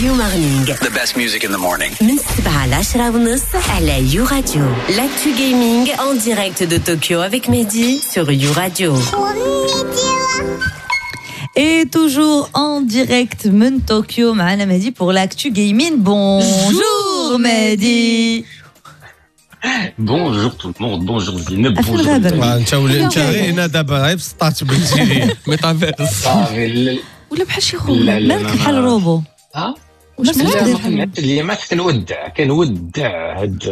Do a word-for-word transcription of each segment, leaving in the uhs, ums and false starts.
You Morning. The best music in the morning. من سبعة ل عشرة ونص على You Radio. L'actu gaming en direct de Tokyo avec Mehdi sur You Radio. Et toujours en direct من طوكيو معنا مهدي pour l'actu gaming. Bonjour Mehdi. Bonjour tout le monde, bonjour Zineb, أفين bonjour. غابر؟ Italie. انت ولي انت غير هنا دابا غير سطات بنتي ميتافيرس. صافي لا ولا بحال شي خو. لا لا. مالك بحال روبو؟ ها؟ مالك لا، داير ما بحال كنعرفش اليامات كنودع كنودع هاد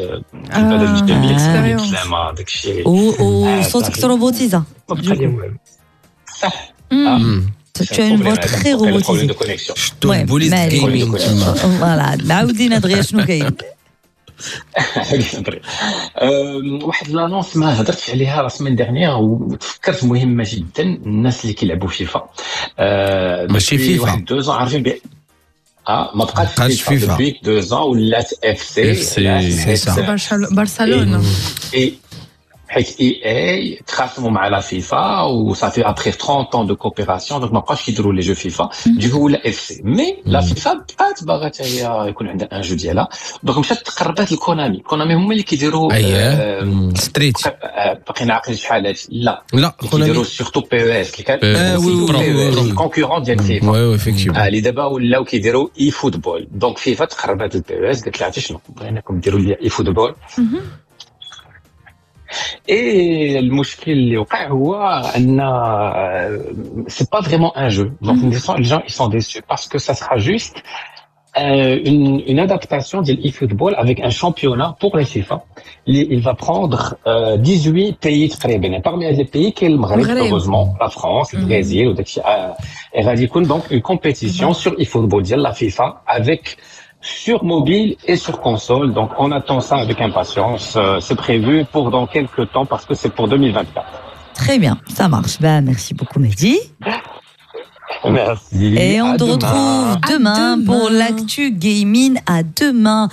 البلد الجميل. Expérience. بسلامه داك الشيء. و- وصوتك صافي. تروبوتيزا. ما بقى لي والو، صح. Tu as une voix très robotisée. de connexion. شتو المهم، البوليس مالك. gaming تما. Voilà، عاودينا دغيا شنو كاين؟ واحد l'annonce ما هضرتش عليها la semaine dernière وتفكرت، مهمة جدا، الناس اللي كيلعبوا فيفا آه، ماشي depuis فيفا. واحد deux ans عارفين بي اه ما بقاتش بقاتش فيفا. فيفا. depuis deux ans ولات FC. FC، c'est ça. برشل- برشلونه. et حيت EA تخاصموا مع la FIFA وصافي après trente ans de coopération، donc ما بقاوش يديروا les jeux FIFA، du coup ولا FC، mais la FIFA بقات باغا حتى هي يكون عندها un jeu ديالها، donc مشات تقربات ل Konami. Konami هما اللي كيديروا اييه آه، Street. آه، باقي نعقل شحال هادشي، لا. لا. كيديروا Konami. surtout PES اللي كان آه، oui oui oui oui. concurrent ديال FIFA. oui oui effectivement. آه، اللي دابا ولاو كيديروا eFootball، donc FIFA تقربات لل PES، قالت لها عرفتي شنو، بغيناكم ديروا لي eFootball. et المشكل اللي وقع هو ان c'est pas vraiment un jeu، donc les gens ils sont déçus parce que ça sera juste euh, une, une adaptation de l'eFootball avec un championnat pour les FIFA. Il, il va prendre euh, dix-huit pays تقريبا. Parmi les pays كاين المغرب المغرب. heureusement, la France, le Brésil وداك الشيء. آه، et غادي يكون donc une compétition sur eFootball ديال la FIFA avec sur mobile et sur console. Donc on attend ça avec impatience. Euh, C'est prévu pour dans quelques temps parce que c'est pour deux mille vingt-quatre. Très bien, ça marche. Ben, merci beaucoup Mehdi. Merci. Et on À te demain. retrouve À demain demain. pour l'actu gaming. À demain.